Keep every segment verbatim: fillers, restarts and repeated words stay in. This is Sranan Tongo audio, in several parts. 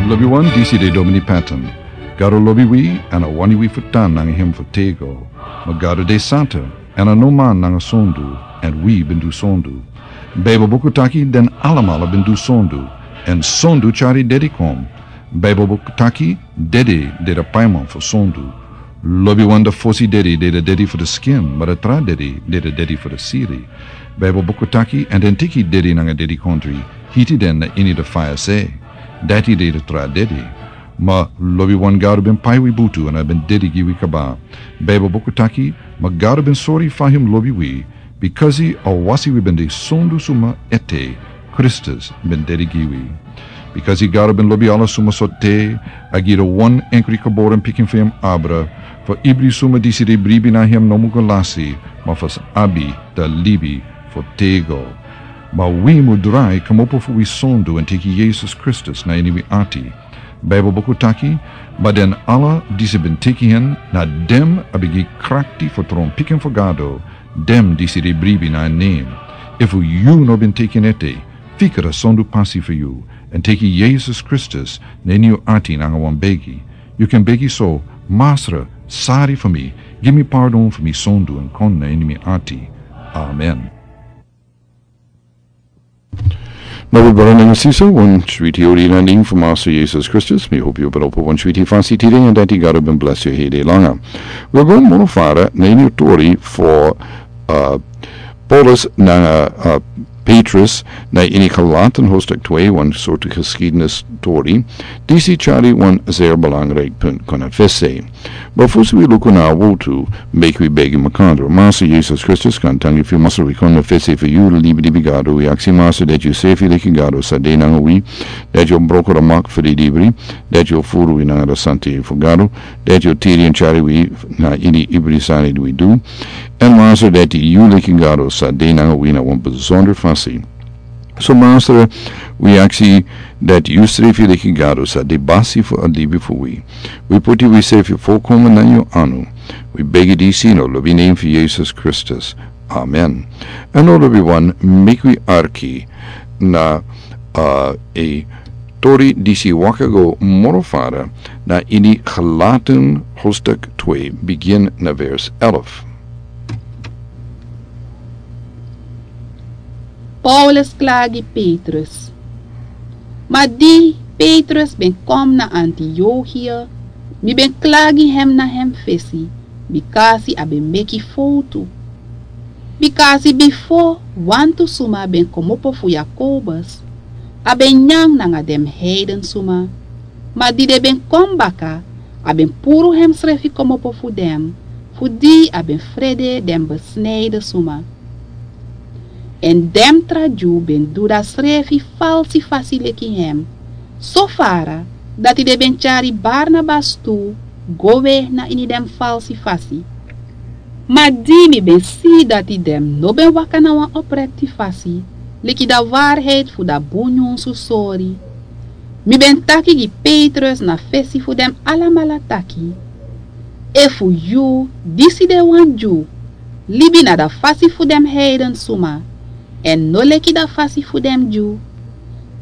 Lobi wan, disi de Domini Patton. Gado lobi wi, èn a wani wi fu tan nanga hem fu tego. Ma Gado de santa, èn a no man nanga sondu, èn wi ben du sondu. Baibel buku taki den alamala ben du sondu, èn sondu tyari dedi kon. Baibel buku taki dedi de de paiman fu sondu. Lobi wan, de fosi dedi de de dedi fu de skin, ma de tra dedi de de dedi fu de siri. Baibel buku taki, èn den teki dedi nanga dedikondri, hiti den na ini de faya se. Dati de de tra dedi. Ma lobi wan, Gado ben pai wi butu èn a ben dedi gi wi kaba. Baibel buku taki, ma Gado ben sori fa hem lobi wi, bikasi a wasi wi ben de sondu suma ete, Kristus ben dedi gi wi. Bikasi Gado ben lobi ala suma so te, a gi de wan enkri geboren pikin fu hem abra, fu ibri suma disi de bribi na hem no mu go lasi, ma fu sa abi da libi fu tego. Ma wi mu drai kmopo fu wi sondu èn teki Yesus Kristus na ini wi ati. Baibel buku taki, ma den ala disi ben teki hen, na dem a ben gi krakti fu tron pikin fu Gado, dem disi de bribi na en nen. Efu yu no ben teki en ete, fikra sondu pasi fu yu, èn teki Yesus Kristus na ini yu ati nanga wan begi. Yu kan begi so: Masra, sari fu mi, gi mi pardon fu mi sondu èn kon na ini mi ati. Amen. Na wi brada nanga sisa, wan switi odi na nen fu Masra Yesus Kristus. Mi hopi yu ben opo wan switi fasi tide, èn dati Gado ben blesi yu hede langa. Wi go moro fara na ini tori fu, uh, Paulus nanga, uh, Petrus na ini Galaten hoofdstuk twee, wan sortu geschiedenis tori. Disi tyari wan zeer belangrijk punt kon a fesi. Ma fosi wi luku na a wotu, meki wi begi makandra. Masra Yesus Kristus, kan tangi fu yu, Masra, wi kon na fesi fu yu, libi, libi Gado. Wi aksi, Masra, dati yu srefi leki Gado sa de nanga wi, dati yu o broko a mak fu di libri, dati yu o furu wi nanga a santa fu Gado, dati yu o tiri èn tyari wi na ini ibri sani di wi du. Èn Masra, dati yu leki Gado sa de nanga wi na wan besondra fasi. So Masra, wi aksi dati yu srefi leki Gado sa de basi fu a libi fu wi. Wi poti wi srefi folkomen na yu anu. Wi begi disi na lobi nen fu Yesus Kristus. Amen. Èn now lobi wan, meki wi arki na, uh, a tori disi waka go moro fara na ini Galaten hoofdstuk twee, begin na vers elf. Paulus klagi Petrus. Ma di Petrus ben kom na Antiochia, mi ben klagi hem na hem fesi, bikasi a ben meki fowtu. Bikasi bifo wantu suma ben komopo fu Jakobus, a ben nyan nanga den heiden suma. Ma di den ben kon baka, a ben puru hemsrefi komopo fu den, fu di a ben frede den besnijden suma. Èn den tra Dyu ben du dati srefi falsi fasi leki hem, so fara dati den ben tyari Barnabas tu go we na ini den falsi fasi. Ma di mi ben si dati den no ben waka na wan oprekti fasi, leki dati waarheid fu dati bun nyunsu sori, mi ben taki gi Petrus na fesi fu den alamala taki: Efu yu, disi de wan Dyu, libi na dati fasi fu den heiden suma, èn no leki dati fasi fu den Dyu,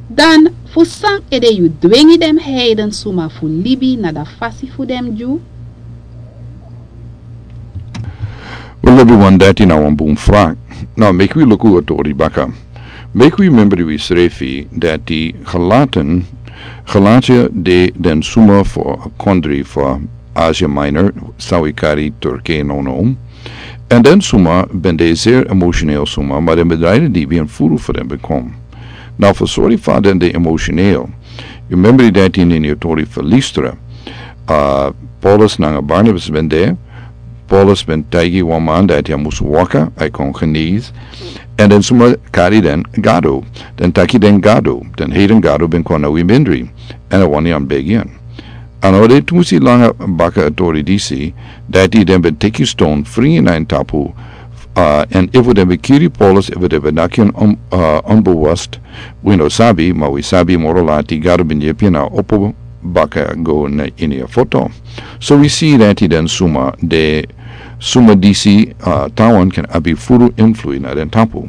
dan fu san ede yu dwengi den heiden suma fu libi na dati fasi fu den Dyu? Wi lobi wan, dati na wan bun vraag. Now, meki wi luku a tori baka. Meki wi membri wi srefi dati Galaten, Galatia de den suma fu a kondri fu Asia Minor, san wi kari Turkije nownow. Èn den suma ben de zeer emotioneel suma, ma den ben drai den libi èn furu fu den ben kon. Now, fu sori fa den de emotioneel, yu membri dati ini a tori fu Listra. Uh, Paulus nanga Barnabas ben de, Paulus ben taigi wan man dati a mus waka, a kon genees. Èn den suma kari den gado. Den taki den gado, den heiden gado ben kon na wi mindri. Èn a wani a begi en. Èn a de tu musi langa baka a tori disi, dati den ben teki ston fringi na en tapu, uh, èn efu den ben kiri Paulus, efu den ben naki en on-, uh, onbewust, wi no sabi, ma wi sabi moro lati Gado ben yepi en a opo baka go na ini a foto. So wi si dati den suma de, suma disi, uh, tawan kan abi furu influi na den tapu.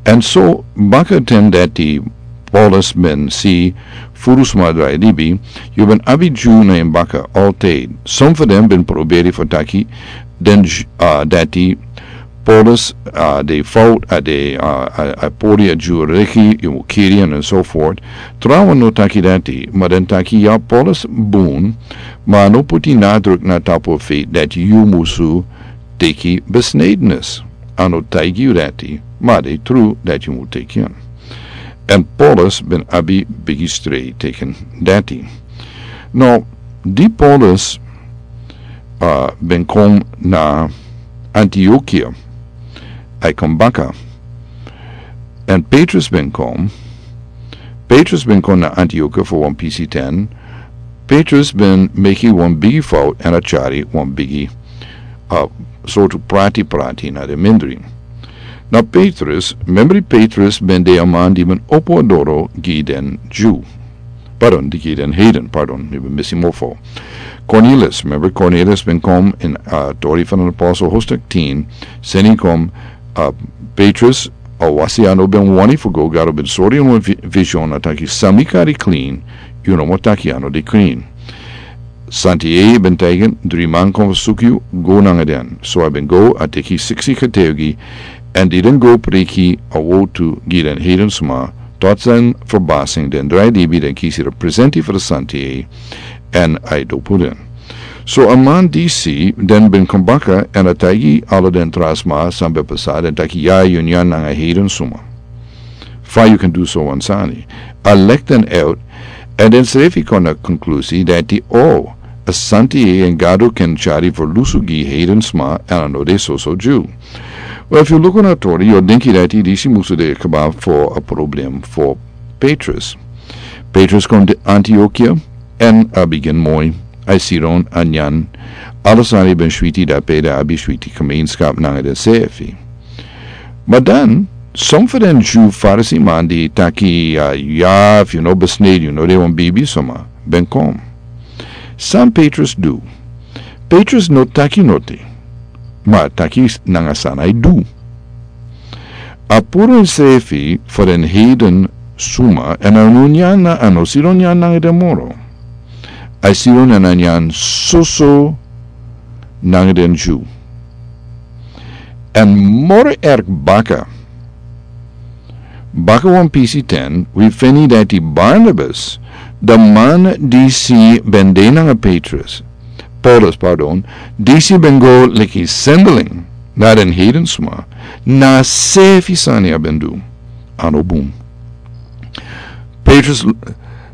Èn so baka ten dati Paulus ben si furu sma drai libi, yu ben abi Dyu na en baka altid. Som fu den ben proberi fu taki den Dyu, a, dati Paulus, a, de fout, a, de, a, a, a pori a Dyu reki, yu mu kiri en, en so fort. Trawan no taki dati, ma den taki ya Paulus bun, ma no puti nadruk na tapu fu dati yu musu teki besnedenis. A no taigi yu dati, ma de tru dati yu mu teki en. En Paulus ben abi bigi strei teki dati. No, di Paulus, a, ben kon na Antiokia, a e kon baka. En Petrus ben kon, Petrus ben kon na Antiokia fu wan pisi ten. Petrus ben meki wan bigi fout en a tyari wan bigi, a, sortu prati prati na den mindri. Na Petrus, memri Petrus ben de a man di ben opo a doro gi den Dyu. Pardon, di gi den heiden, pardon, mi ben misi mofo. Cornelius, memri Cornelius ben kon in, a, tori fu den apostel hoofdstuk tien, seni kon, a, Petrus, a wasi a no ben wani fu go, Gado ben sori en wan vi-, vision, a taki san mi kari klin, yu no mu taki a no de klin. Santi e ben taigi en, dri man kon fu suku yu, go nanga den. So a ben go, a teki siksi getuigi, en di den go preki a wowtu gi den heiden sma, tot zijn verbazing den drai libi, den kisi den presenti fu den Santi e, en a e dopu den. So a man disi den ben kon baka en a taigi ala den tra sma san ben pasa, den taki ya yu nyan nanga heiden sma. Fa yu kan du so wan sani. A leki den out, en den srefi kon na konklusi dati o, a Santi e en Gado kan tyari ferlusu gi heiden sma, en a no de soso Dyu. Wel, efu yu luku na tori, yu o denki dati disi musu de kaba fu a problem fu Petrus. Petrus kon de Antiokia, en a bigin moi, a e sidon, a nyan, ala sani ben switi dape, den abi switi gemeenschap nanga den srefi. Ma dan, som fu den Dyu Farisi man di taki, a, ya, efu yu no besnede, yu no de wan bribi sma, ben kon. San Petrus du? Petrus no taki noti, ma a taki nanga san a e du. A puru ensrefi fu den heiden suma, en a no nyan na, a no sidon nyan nanga den moro. A e sidon en a nyan soso nanga den Dyu. En moro erg baka, baka wan pisi ten, wi feni dati Barnabas, den man disi ben de nanga Petrus, Paulus, pardon, disi ben go leki sendeling na den heiden suma, na a srefi sani a ben du. A no bun. Petrus l-,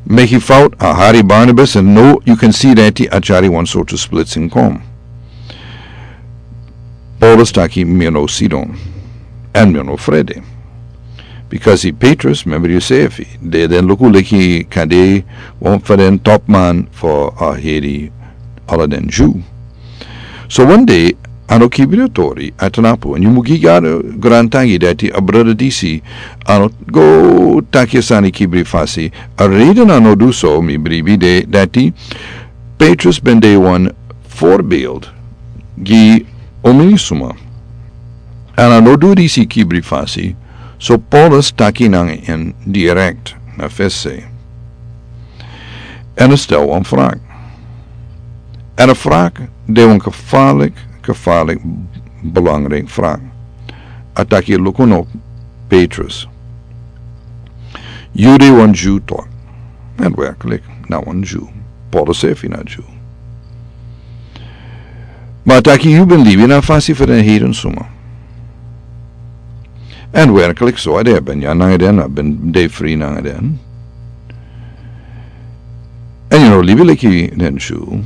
meki fout, a hari Barnabas, en now yu kan si dati a tyari wan sortu splitsing kon. Paulus taki mi no sidon, en mi no frede. Because i Petrus, member yu srefi, den, den luku leki kande wan fu den top man fu a heri ala den Dyu. So wan dei, a no kibri a tori, a tnapu, en yu mu gi Gado grantangi dati a brada disi, a no go taki a sani kibri fasi, a reden a no du so, mi bribi de dati, Petrus ben de wan voorbeeld gi omeni suma. En a no du disi kibri fasi, so Paulus taki nanga en direct na fesi. En a stel wan vraag. En a vraag de wan gevaarlijk, gevaarlijk belangrijk vraag. A taki luku no Petrus. Yu de wan Dyu toch. En werkelijk, na wan Dyu. Paulus srefi na Dyu. Ma a taki yu ben libi na fasi fu den heiden suma. En werkelijk so, a de ben nyan nanga den, a ben de fri nanga den. En yu no libi leki den Dyu.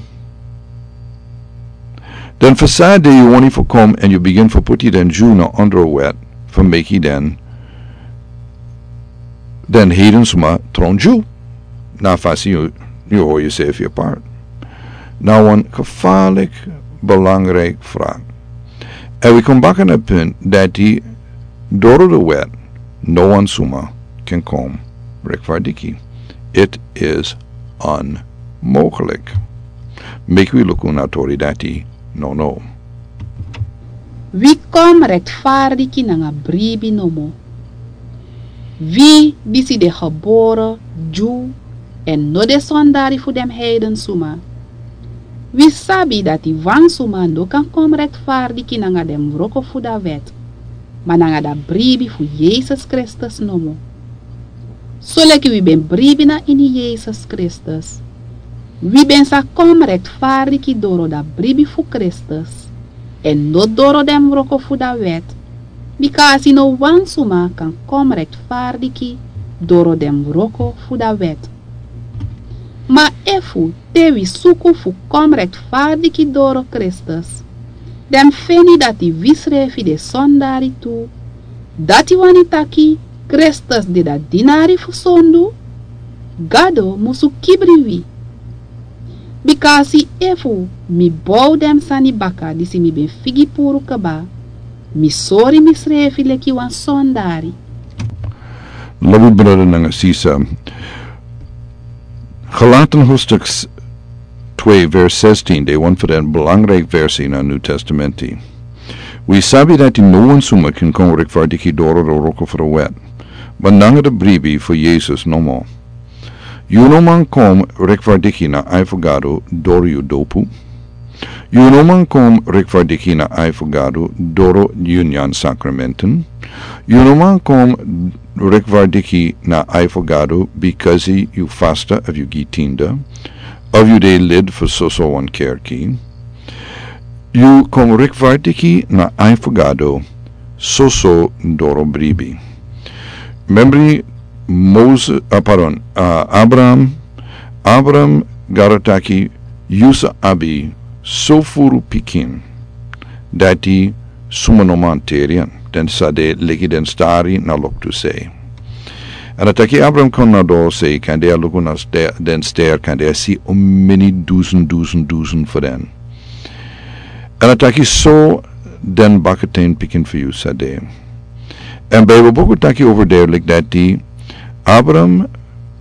Dan fa san de yu wani fu kon en yu bigin fu puti den Dyu na ondro wet, fu meki den, den heiden suma tron Dyu. Na fasi yu, yu hori yusrefi apart. Na wan gevaarlijk belangrijk vraag. En wi kon baka na punt dati doro de wet, no wan suma kan kon rechtvaardig. It is onmogelijk. Meki wi luku na tori dati, no, no. Wi kon rechtvaardig nanga bribi nomo. Wi disi de gebore Dyu èn no de sondari fu den heidensuma, wi sabi dati wan suma no kan kon rekfardiki nanga den wroko fu da wet, ma nanga da bribi fu Yesus Kristus nomo. Soleki wi ben bribi na ini Yesus Kristus, wi ben sa kon rekfardiki doro da bribi fu Kristus, èn no doro den wroko fu da wet, bika a si no wan suma kan kon rekfardiki doro den wroko fu da wet. Ma efu te wi suku fu kon rekfardiki doro Kristus, dan wi feni dati wisrefi de sondari tu, dati wani taki Kristus de da dinari fu sondu, Gado musu kibri wi. Bika a si efu mi bow den sani baka disi mi ben figi puru kaba, mi sori misrefi leki wan sondari. Lobi brada nanga sisa, Galaten hoofdstuk twee vers zestien, de wan fu den belangrijk versi na New Testamenti. Wi sabi dati no wan suma kan kon rekfardiki doro de wroko fu da wet, ma nanga da bribi fu Yesus nomo. Yu no man kon rekfardiki na ai fu Gado doro yu dopu. Yu no man kon rekfardiki na ai fu Gado doro yu nyan sakramenten. Yu no man kon rekfardiki na ai fu Gado bikasi yu fasta of yu gi tinda, of yu de lid fu soso wan kerki. Yu kon rekfardiki na ai fu Gado soso doro bribi. Membri Moses, ah, pardon, ah, Abraham, Abraham Gado taki yu sa abi so furu pikin dati suma no man teri en, den sa de leki den stari na loktu sei. Èn a taki Abraham kon na doro sei, kande a luku na ste-, den ster, kande a si omeni dusun, dusun, dusun fu den. Èn a taki so den bakaten pikin fu yu sa de. Èn Bijbel buku taki over there like dati Abraham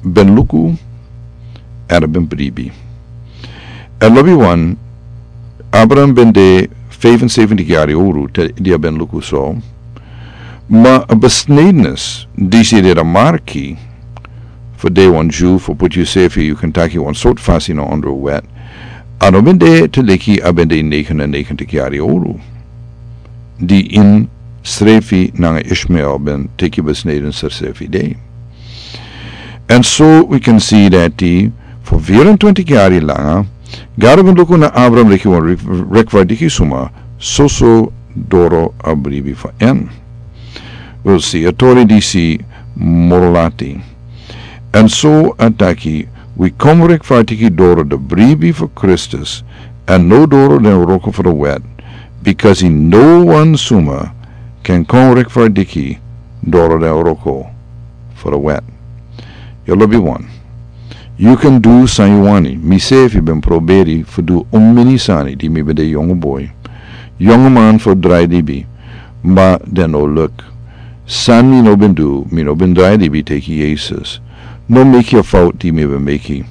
ben luku, èn a ben bribi. Èn lobi wan, Abraham ben de vijfenzeventig yari owru te di a ben luku so. Ma a besnedenis disi de da marki fu de wan Dyu fu puti yusefi, yu kan taki wan sortu fasi na ondro wet. A no ben de te leki a ben de negenennegentig yari owru di ini srefi nanga Ishmael ben teki besneden srefi de. Èn so wi kan si dati fu vierentwintig yari langa, Gado ben luku na Abraham leki wan rek-, rekfardiki suma, soso doro a bribi fu en. Wi si a tori disi moro lati. Èn so a taki, wi kon rekfardiki doro da bribi fu Kristus, èn no doro den wroko fu da wet, bikasi no wan suma kan kon rekfardiki doro den wroko fu da wet. Yu lobi wan. Yu kan du san yu wani. Misefi ben proberi fu du omeni sani di mi ben de yongu boi, yongu man fu drai libi, ma den no luk. San mi no ben du, mi no ben drai libi teki Yesus. No meki a fout di mi ben meki.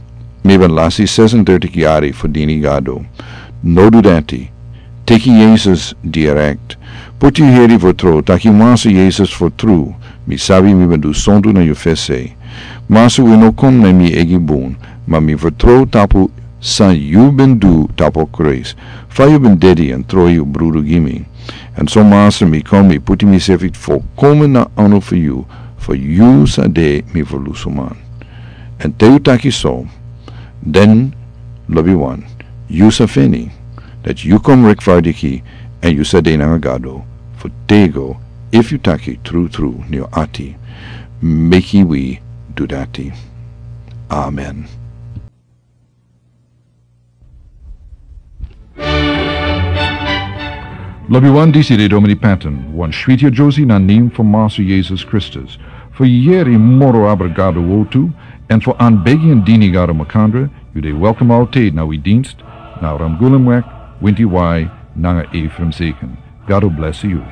Mi ben lasi zesentwintig yari fu dini Gado. No du dati. Teki Yesus direkt. Puti yu heri fu tru, taki Masra Yesus fu tru, mi sabi mi ben du sondu na yu fesi. Masra, wi no kon na mi eigi bun, ma mi fu tru tapu san yu ben du tapu Kris. Fa yu ben dedi èn tru yu brudu gi mi. Èn so Masra, mi kon, mi puti misefi fu komen na anu fu yu, fu yu sa de mi ferlusu man. Èn te yu taki so, den lobi wan, yu sa feni dati yu kon rekfardiki, èn yu sa de nanga Gado fu tego, efu yu taki trutru na yu ati. Meki wi du dati. Amen. Lobi wan, disi de Domini Patton, wan switi a Josie na nen fu Masra Yesus Kristus. Fu yeri moro abra Gado wortu, èn fu anbegi èn dini Gado makandra, yu de welkom altijd na wi dienst, na Ramgulumweg, winti wai, nanga Ephraim Zeken. Gado bless yu.